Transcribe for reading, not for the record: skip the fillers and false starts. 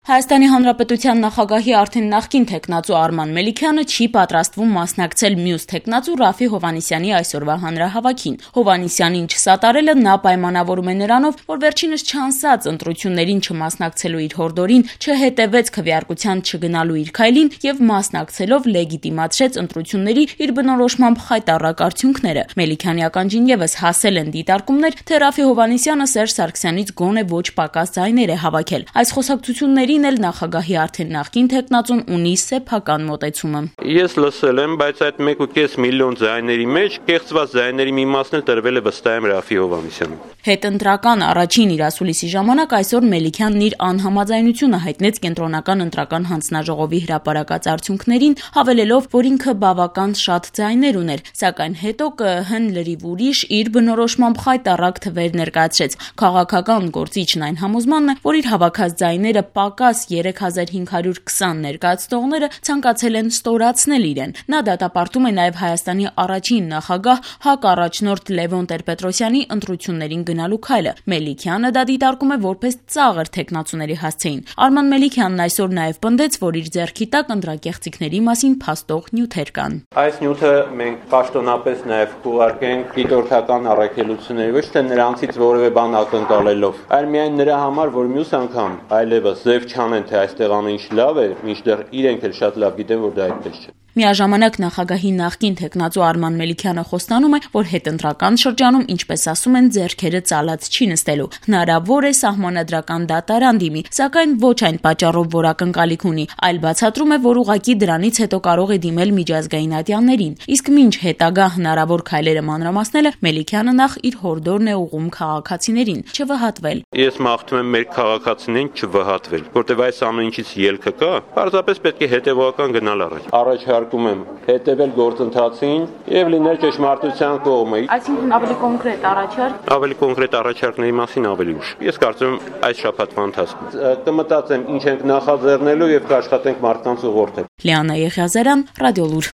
Հայաստանի Հանրապետության նախագահի արդեն նախկին թեկնածու Արման Մելիքյանը չի պատրաստվում մասնակցել մյուս թեկնածու Րաֆֆի Հովհաննիսյանի այսօրվա հանրահավաքին։ Հովհաննիսյանին չսատարելը նա պայմանավորում է նրանով, որ վերջինս չանսած ընտրություններին չմասնակցելու իր հորդորին, չհետևեց քվեարկության չգնալու իր քայլին եւ մասնակցելով լեգիտիմացրեց ընտրությունների իր բնորոշմամբ խայտառակ արդյունքները։ Մելիքյանի ականջին եւս հասել են դիտարկումներ, թե Րաֆֆի Հովհաննիսյանը Սերժ Սարգսյանից գոնե ոչ պակաս ձայներ է հավաքել։ Այս խոսակցությունների նախագահի արդեն նախկին թեկնածուն ունի սեփական մոտեցումը։ Ես լսել եմ, բայց այդ 1.5 միլիոն ձայների մեջ կեղծված ձայների մի մասն էլ տրվել է վստահ եմ Րաֆֆի Հովհաննիսյանին։ Հետընտրական առաջին իր ասուլիսի ժամանակ այսօր Մելիքյանն իր անհամաձայնությունը հայտնեց կենտրոնական ընտրական հանձնաժողովի հրապարակած արդյունքներին, հավելելով, որ ինքը բավական շատ ձայներ ուներ, սակայն հետո ԿԸՀ-ն լրիվ ուրիշ իր բնորոշմամբ խայտառակ թվեր ներկայացրեց։ Քաղաքական գործիչն այն համոզմանն է, որ իր հավաքած ձայները պակաս 3520 ներկայացնողները ցանկացել են ստորացնել իրեն։ Նա դատապարտում է նաև Հայաստանի առաջին նախագահ ՀԱԿ առաջնորդ Լևոն Տեր-Պետրոսյանի ընտրություններին գնալու քայլը։ Մելիքյանը դա դիտարկում է որպես ծաղր թեկնածուների հասցեին։ Արման Մելիքյանն այսօր նաև պնդեց, որ իր ձեռքի տակ ընտրակեղծիքների մասին փաստող նյութեր կան։ Այս նյութը մենք պաշտոնապես նաև կուղարկենք դիտորդական առաքելությունների, ոչ թե նրանցից որևէ բան ակնկալելով, այլ միայն նրա համար, որ մյուս անգամ այլևս ձև չանեն, թե այստեղ ամեն ինչ լավ է, մինչդեռ իրենք էլ շատ լավ գիտեն, որ դա այդպես չէ։ Միաժամանակ նախագահի նախկին թեկնածու Արման Մելիքյանը խոստանում է, որ հետընտրական շրջանում, ինչպես ասում են, ձեռքերը ծալած չի նստելու։ Հնարավոր է սահմանադրական դատարան դիմի, սակայն ոչ այն պատճառով, որ ակնկալիք ունի, այլ բացատրում է, որ ուղղակի դրանից հետո կարող է դիմել միջազգային ատյաններին։ Իսկ մինչ հետագա հնարավոր քայլերը մանրամասնելը, Մելիքյանը նախ իր հորդորն է ուղղում քաղաքացիներին չվհատվել։ Ես մաղթում եմ մեր քաղաքացիներին չվհատվել, որտեղ այս ամեն ինչից ելքը կա, պարզապես պետք է հետևողական գնալ առաջ։ Առաջարկում եմ հետևել գործընթացին եւ լինել ճշմարտության կողմը։ Այսինքն ավելի կոնկրետ առաջարկ։ Ավելի կոնկրետ առաջարկների մասին ավելի ուշ։ Ես կարծում եմ այս շաբաթվա ընթացքում կմտածեմ ինչ ենք նախաձեռնելու եւ կաշխատենք մարդկանց ուղղորդել։ Լիանա Եղիազարյան, Ռադիոլուր։